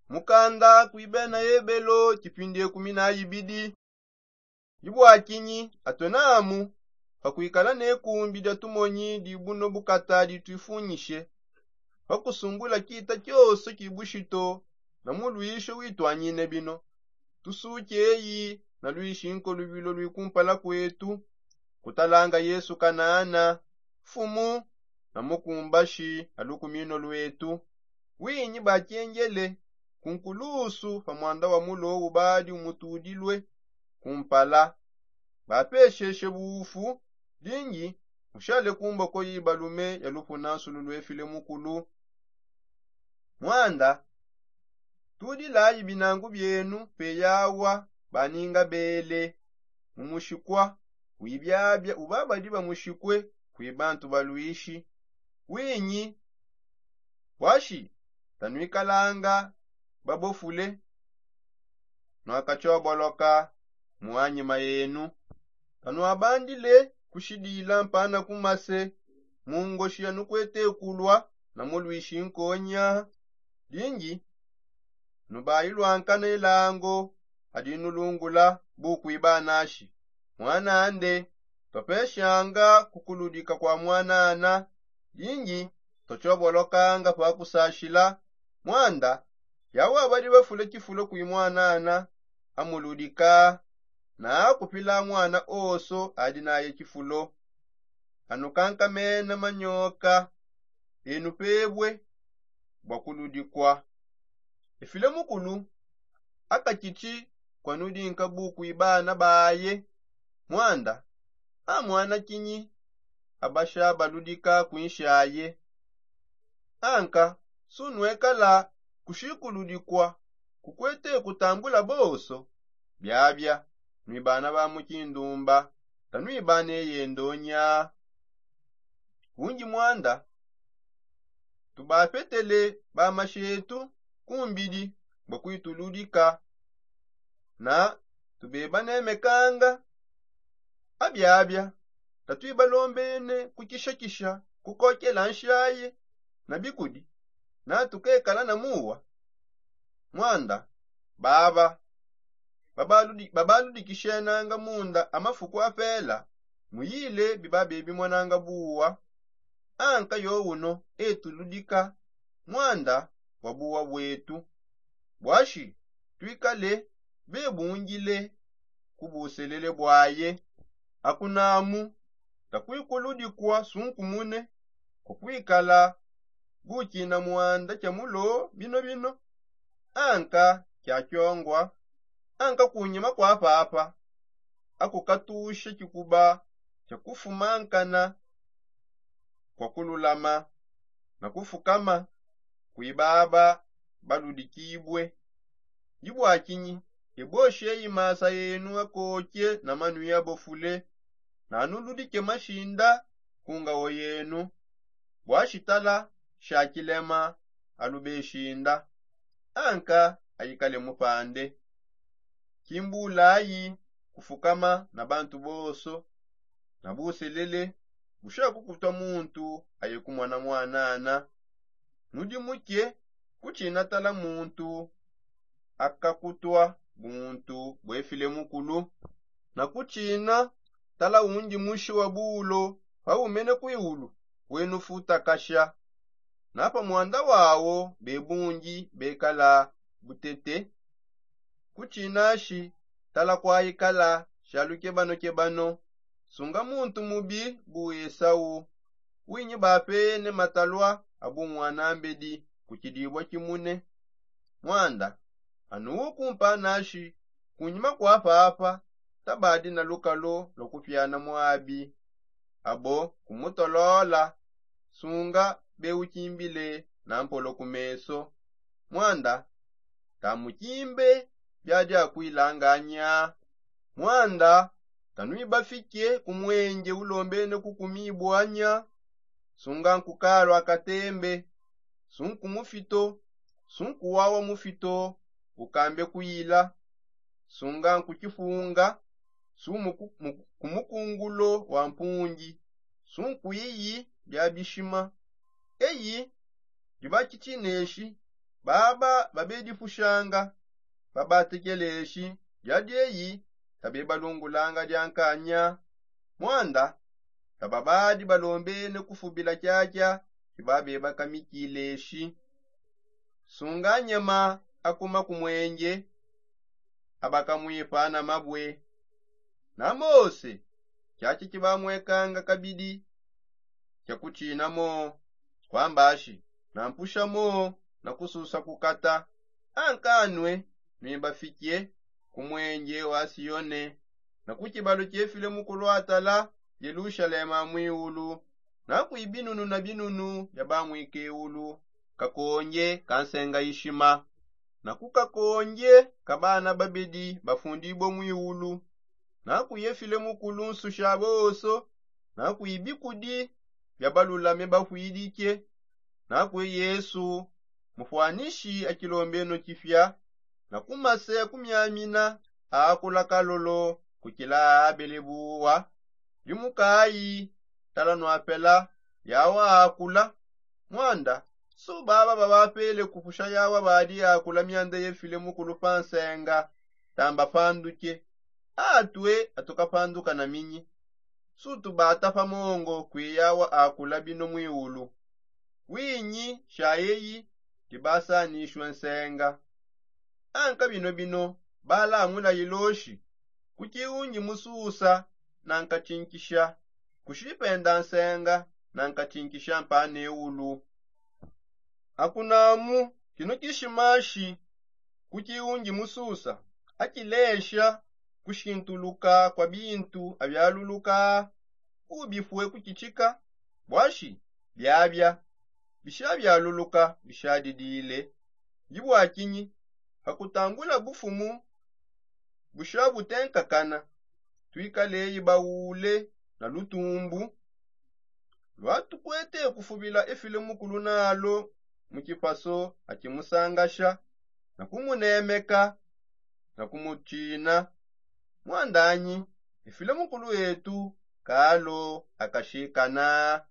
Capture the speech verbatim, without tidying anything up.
Mukanda kui bena ebelo tshipindi ekumi na ibidi. Dibwakinyi atuenamu pa kuikala ne kumbi dia tumonyi dibuno bukata dituifunyishe pa kusungula kita kioso ki bushito na muluisho wituanyine bino. Tusuki eyi na luishinko lubilo lui kumpala kuetu, kutalanga yesu kanana, mfumu na mukumbashi a lukumino luetu. Winyi bakiengele ku nkulusu pa mwanda wa mulo ubadi umutudilue kumpala, bapesheshe buufu. Dingi mushale ku mboko yibalume ya lupunansulu luefile mukulu. Mwanda tudilayi binangu bienu peyawa baninga bele mu mushikwa wibiabia ubabadi bamushikwe kwi bantu baluishi. Winyi bwashi tanuikalanga babofule nwakatshoboloka mu anyima yenu. Tanuabandile kushidila mpana kumase mu ngoshi yanukuete kulwa na muluishi nkonya. Dingi nubailwankana ilango adi nulungula bukuibanashi mwanande. Twapeshanga kukuludika kwa mwanana. Dingi twatshobolokanga pa kusashila mwanda yawa badi bafule tshifulo kui mwanana amuludika na akupila mwana oso adi naye tshifulo. Anukankamena manyoka enu pebwe bua kuludikua. Efile mukulu akatshitshi kua nudinka bukui bana baye. Mwanda a mwana kinyi abasha baludika kuinshaye. Anka sunuekala kushikuludikua kukuete kutambula bonso. Biabia nuibana ba mu tshindumba tanuibana eyendonya. Undi mwanda tubapetele ba mashetu ku mbidi bua kuituludika na tubebanemekanga. Abiabia tatuibalombene kukishakisha kukokela nshaye na bikudi na tukekala na muwa. Mwanda baba babaludikishenanga munda a mafuku apela muyile bibabe bimonanga buwa. Anka yo uno etuludika mwanda wa buwa bwetu bwashi tuikale bebungile ku buselele bwaye. Akunamu takuikuludikua sunkumune kukuikala bukina mwanda tshia mulo binobino. Anka kiakiongua anka kunyima kua papa akukatusha tshikuba tshia kufumankana kua kululama na kufukama kui baba baludikibue. Ndi bua tshinyi ebosheyi masa enu akotshie na manui abofule nanuludike mashinda ku ngawo yenu? Bua shitala sha tshilema alubeshinda anka ayikale mupande. Kimbulayi kufukama na bantu bonso na buselele bushaku kutua muntu aye kumona mwanana. Nudi muke kutshina tala muntu akakutua buntu buefile mukulu na kutshina tala undi mushi wa bulo paumene kuiulu wenufutakasha na pa mwanda wawo bebundi bekala butete. Kutshinashi tala kuayikala sha lukebanokebano sunga muntu mubi bu esau. Winyi bapene matalua a bunwanambedi ku tshidibua tshimune. Mwanda anuwu kumpanashi kunyima kua papa tabadi na lukalu lua kupiana muabi abo kumutolola sunga beukimbile na mpolo ku meso. Mwanda tamukimbe biadi akuilanganya. Mwanda tanuibafike ku muenje ulombene kukumibua nya sunga nkukalua katembe sunku mufito sunku wawa mufito ukambe kuila sunga nkukipunga su ku mukungulo wa mpungi sunku iyi bia bishima. Eyi diba tshitshineshi Baba babedipushanga babatekeleshi dia dieyi tabebalungulanga diankanya. Mwanda tababadi balombene kufubila kiakia kibabebakamikileshi. Sunga nyama akuma ku mwenge abakamwipana mabwe. Na mose kiakia kibamwekanga kabidi kia kutshinamo kwambashi na mpushamo na kususa kukata. Ankanwe nwibafikie ku mwenge wa sione na ku kibalo kiefile mu kulwatala yelushalema mwiulu na kwi binunu na binunu bia bamwikeulu kakonge ka nsenga ishima na ku kakonge ka bana babedi bafundibue mwiulu na ku yefile mukulu nsusha bonso na kwi bikudi bia balulame bafwidike na kwi yesu mufwanishi a kilombeno kifia na ku mase a kumiamina aakula kalolo kukila aabele buwa. Ndi mukayi tala nwapela yawa aakula. Mwanda su baba babapele kupusha yawa badi aakula mianda yefile mukulu pa nsenga. Tamba panduke atue atukapanduka na minyi. Su tubata pa mongo kwi yawa aakula bino mwiulu. Winyi sha yeyi ndibasanishue nsenga. Anka bino bino balamula iloshi kuki ungi mususa na nkachinkisha kushipenda nsenga na nkachinkisha mpane ulu. Akunamu kino kishimashi kuki ungi mususa akilesha kushintuluka kwa bintu abialuluka ubifue kukichika bwashi biabia bishabialuluka bishadidile. Ndi bwakinyi pakutambula bufumu bushabutenkakana twikaleyi baule na lutumbu. Lwatukwete kufubila efile mukulu nalo mu kipaso akimusangasha na kumunemeka na kumutshina. Mwandanyi efile mukulu etu kalo akashikana.